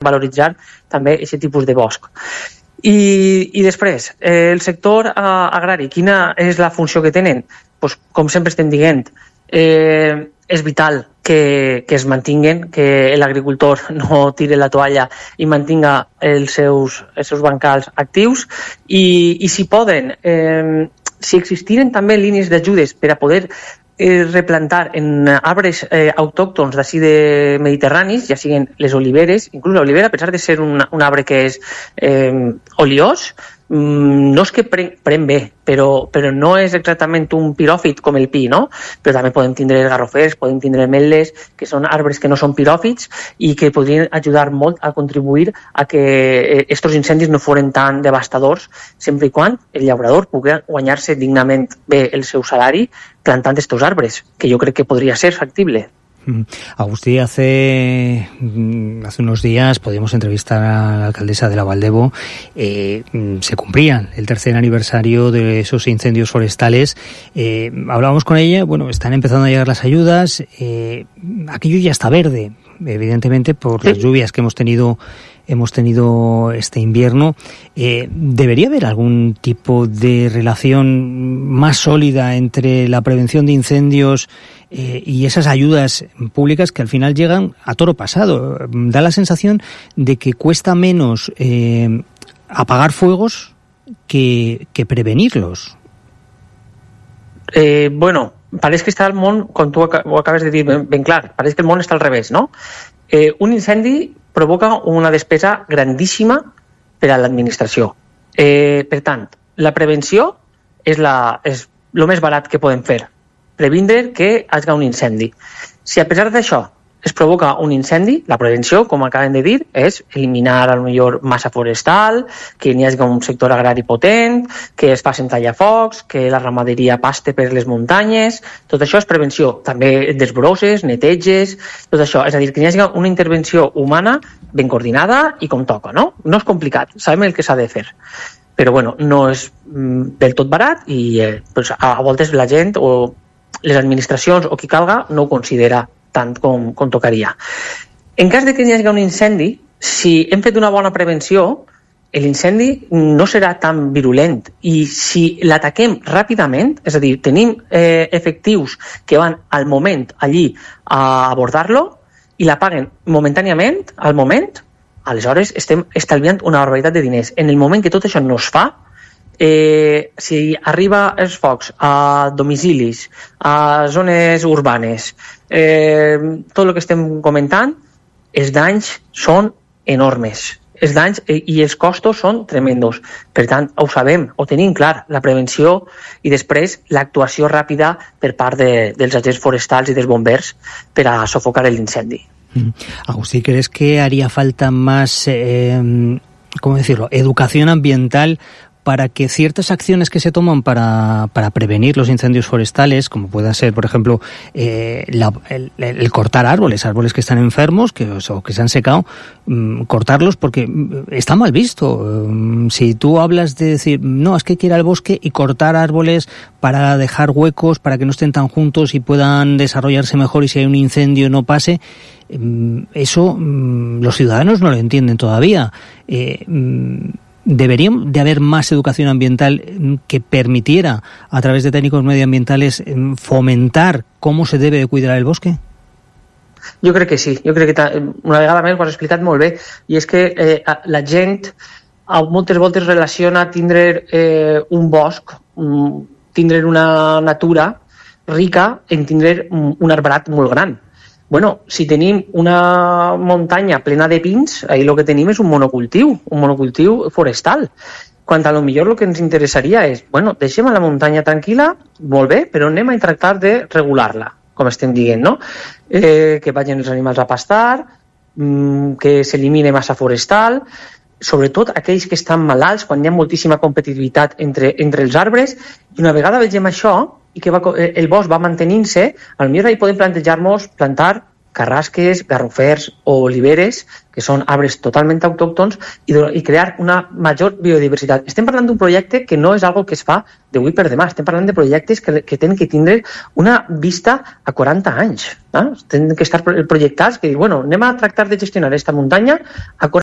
valoritzar també aquest tipus de bosc. I després, el sector agrari, quina és la funció que tenen? Pues, com sempre estem dient, és vital que es mantinguen, que l'agricultor no tire la toalla i mantinga els seus bancals actius i si poden, si existiren també línies d'ajudes per a poder replantar en arbres autòctons d'ací de mediterranis, ja siguin les oliveres, inclús l'olivera, a pesar de ser un arbre que és oliós, no és que pren bé, però no és exactament un piròfit com el pi, no? Però també podem tindre garrofers, podem tindre ametles, que són arbres que no són piròfits i que podrien ajudar molt a contribuir a que aquests incendis no foren tan devastadors, sempre i quan el llaurador pugui guanyar-se dignament bé el seu salari plantant aquests arbres, que jo crec que podria ser factible. Agustí, hace unos días podíamos entrevistar a la alcaldesa de la Valdevo. Se cumplía el tercer aniversario de esos incendios forestales. Hablábamos con ella, bueno, están empezando a llegar las ayudas. Aquello ya está verde, evidentemente, por las lluvias que hemos tenido este invierno. ¿Debería haber algún tipo de relación más sólida entre la prevención de incendios y esas ayudas públicas que al final llegan a toro pasado? Da la sensación de que cuesta menos apagar fuegos que prevenirlos. Bueno, pareix que està el món, com tu ho acabes de dir ben clar, pareix que el món està al revés, no? Un incendi provoca una despesa grandíssima per a l'administració. Per tant, la prevenció és el més barat que podem fer, previndre que hi hagi un incendi. Si a pesar d'això es provoca un incendi, la prevenció, com acabem de dir, és eliminar a lo millor massa forestal, que n'hi hagi un sector agrari potent, que es facin tallafocs, que la ramaderia paste per les muntanyes, tot això és prevenció. També desbrosses, neteges, tot això. És a dir, que n'hi hagi una intervenció humana ben coordinada i com toca, no? No és complicat, sabem el que s'ha de fer. Però bueno, no és del tot barat i pues, a voltes la gent o les administracions o qui calga no ho considera tant com tocaria. En cas de que hi hagi un incendi, si hem fet una bona prevenció, l'incendi no serà tan virulent i si l'ataquem ràpidament, és a dir, tenim efectius que van al moment allí a abordar-lo i l'apaguen momentàniament, al moment, aleshores estem estalviant una barbaritat de diners. En el moment que tot això no es fa, si arriba els focs a domicilis, a zones urbanes, tot el que estem comentant, els danys són enormes. Els danys i els costos són tremendos. Per tant, ho sabem, ho tenim clar, la prevenció i després l'actuació ràpida per part dels agents forestals i dels bombers per a sofocar l'incendi. Agustí, ¿crees que haría falta más, ¿cómo decirlo?, educación ambiental para que ciertas acciones que se toman para prevenir los incendios forestales, como pueda ser, por ejemplo, el cortar árboles que están enfermos o que se han secado, cortarlos porque está mal visto? Si tú hablas de decir, no, es que hay que ir al bosque y cortar árboles para dejar huecos, para que no estén tan juntos y puedan desarrollarse mejor y si hay un incendio no pase, eso los ciudadanos no lo entienden todavía. ¿Debería de haber más educación ambiental que permitiera, a través de técnicos medioambientales, fomentar cómo se debe de cuidar el bosque? Jo crec que sí. Jo crec que una vegada més ho has explicat molt bé. I és que la gent moltes voltes relaciona tindre un bosc, tindre una natura rica en tindre un arbrat molt gran. Bueno, si tenim una muntanya plena de pins, ahí lo que tenim és un monocultiu forestal. Quan a lo millor el que ens interessaria és, bueno, deixem a la muntanya tranquil·la, molt bé, però anem a tractar de regular-la, com estem dient, no? Que vagin els animals a pastar, que s'elimine massa forestal, sobretot aquells que estan malalts, quan hi ha moltíssima competitivitat entre els arbres, i una vegada vegem això, i que el bosc va mantenint-se, potser ahí podem plantejar-nos plantar carrasques, garrofers o oliveres, que són arbres totalment autòctons, i crear una major biodiversitat. Estem parlant d'un projecte que no és algo que es fa d'avui per demà, estem parlant de projectes que tenen que tindre una vista a 40 anys. Tenen que estar projectats, que dir, bueno, anem a tractar de gestionar aquesta muntanya a 40